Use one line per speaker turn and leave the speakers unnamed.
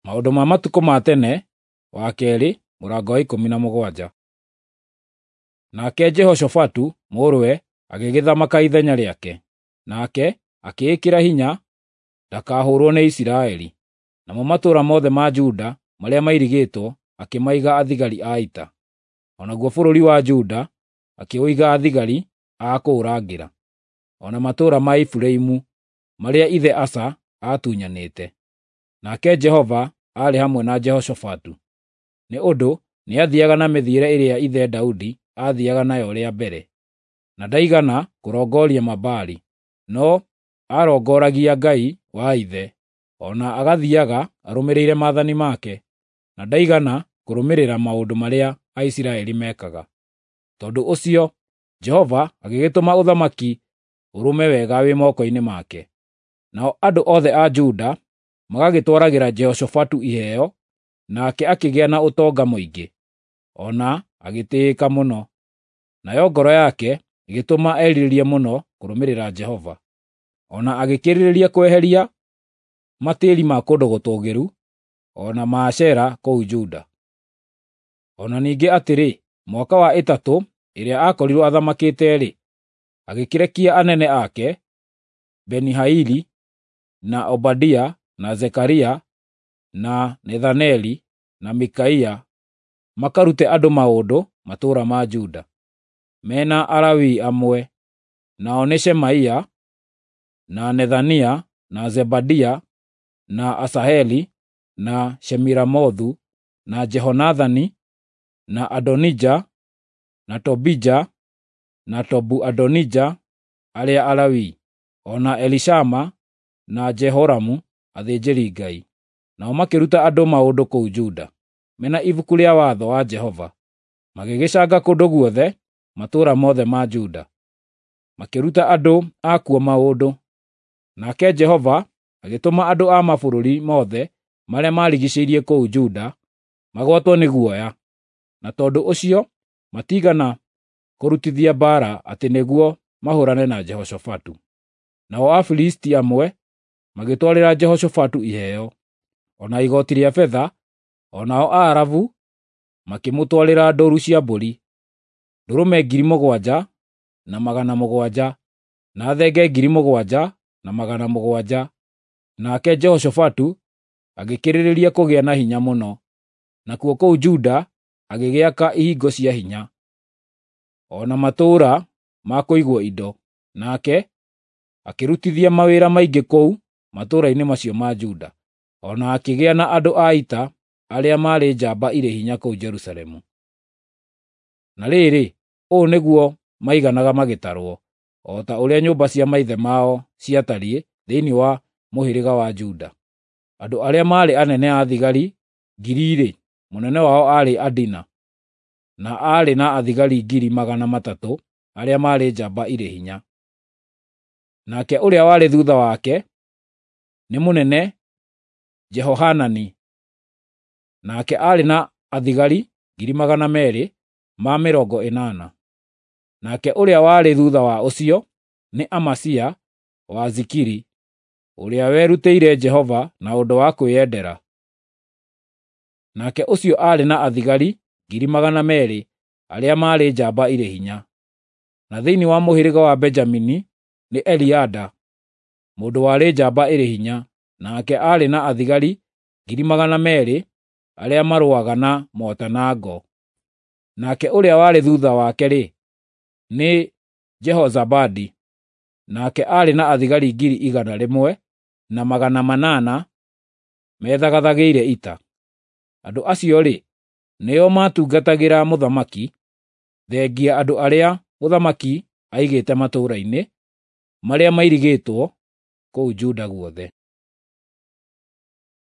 Maũndũ ma matukũ ma tene wa kerĩ mũrango wa 17. Nake Jehoshafatu mũrũwe agĩgĩthamaka ithenya rĩake, nake akĩĩkĩra hinya ndakahũrwo nĩ Isiraeli. Namo matũũra mothe ma Juda marĩa mairigĩtwo akĩmaiga athigari a ita. O naguo bũrũri wa Juda akĩũiga athigari a kũũrangĩra, o na matũũra ma Efiraimu marĩa ithe Asa aatunyanĩte. Nake Jehova aarĩ hamwe na Jehoshafatu, nĩ ũndũ nĩathiiaga na mĩthiĩre ĩrĩa ithe Daudi aathiiaga nayo rĩa mbere, na ndaigana kũrongoria Mabaali, no aarongoragia Ngai wa ithe, o na agathiiaga arũmĩrĩire maathani make, na ndaigana kũrũmĩrĩra maũndũ marĩa Aisiraeli meekaga. Tondũ ũcio Jehova agĩgĩtũma ũthamaki ũrũme wega wĩ moko-inĩ make. Nao andũ othe a Juda magagĩtwaragĩra Jehoshafatu iheo, nake akĩgĩa na ũtonga mũingĩ, o na agĩtĩĩka mũno. Nayo ngoro yake ĩgĩtũma erirĩrie mũno kũrũmĩrĩra Jehova. O na agĩkĩrĩrĩria kweheria matĩri ma kũndũ gũtũũgĩru, o na Maashera kũu Juda. O na ningĩ atĩrĩ, mwaka wa ĩtatũ ĩrĩa aakorirwo athamakĩte-rĩ, agĩkĩrekia anene ake, Beni-Haili, na Obadia, na Zekaria, na Nethaneli, na Mikaia, makarute andũ maũndũ matũũra ma Juda, mena Alawii amwe, nao nĩ Shemaia, na Nethania, na Zebadia, na Asaheli, na Shemiramothu, na Jehonathani, na Adonija, na Tobija, na Tobu-Adonija arĩa Alawii, o na Elishama na Jehoramu athĩnjĩri-Ngai. Nao makĩruta andũ maũndũ kũu Juda, mena ibuku rĩa watho wa Jehova, magĩgĩcanga kũndũ guothe matũũra mothe ma Juda, makĩruta andũ akuo maũndũ. Nake Jehova agĩtũma andũ a mabũrũri mothe marĩa maarigiicĩirie kũu Juda magwatwo nĩ guoya, na tondũ ũcio matiigana kũrutithia mbaara atĩ nĩguo mahũũrane na Jehoshafatu. Nao Afilisti amwe magĩtwarĩra Jehoshafatu iheo, o na igooti rĩa betha, o nao Aarabu makĩmũtwarĩra ndũũru cia mbũri, ndũrũme 7,700, na thenge 7,700. Nake Jehoshafatu agĩkĩrĩrĩria kũgĩa na hinya mũno, nakuo kũu Juda agĩgĩaka ihingo cia hinya, o na matũũra ma kũigwo indo, nake akĩrutithia mawĩra maingĩ kũu matũũra-inĩ macio ma Juda, o na akĩgĩa na andũ a ita arĩa maarĩ njamba irĩ hinya kũu Jerusalemu. Na rĩrĩ, ũũ nĩguo maiganaga magĩtarwo, o ta ũrĩa nyũmba cia maithe mao ciatariĩ thĩinĩ wa mũhĩrĩga wa Juda. Andũ arĩa maarĩ anene a thigari ngiri-rĩ, mũnene wao aarĩ Adina, na aarĩ na athigari 300,000 arĩa maarĩ njamba irĩ hinya. Nake ũrĩa warĩ thuutha wake nĩ mũnene Jehohanani, nake aarĩ na athigari 280,000. Nake ũrĩa warĩ thuutha wa ũcio nĩ Amasia wa Zikiri, ũrĩa werutĩire Jehova na ũndũ wa kwĩyendera. Nake ũcio aarĩ na athigari 200,000 arĩa maarĩ njamba irĩ hinya. Na thĩinĩ wa mũhĩrĩga wa Benjamini nĩ Eliada, mũndũ warĩ njamba ĩrĩ hinya, nake aarĩ na athigari 200,000 arĩa marũaga na mota na ngo. Nake ũrĩa warĩ thuutha wake-rĩ, nĩ Jehozabadi, nake aarĩ na athigari 1,800 methagathagĩire ita. Andũ acio-rĩ, nĩo maatungatagĩra mũthamaki, thengia andũ arĩa mũthamaki aigĩte matũũra-inĩ marĩa mairigĩtwo kũu Juda guothe.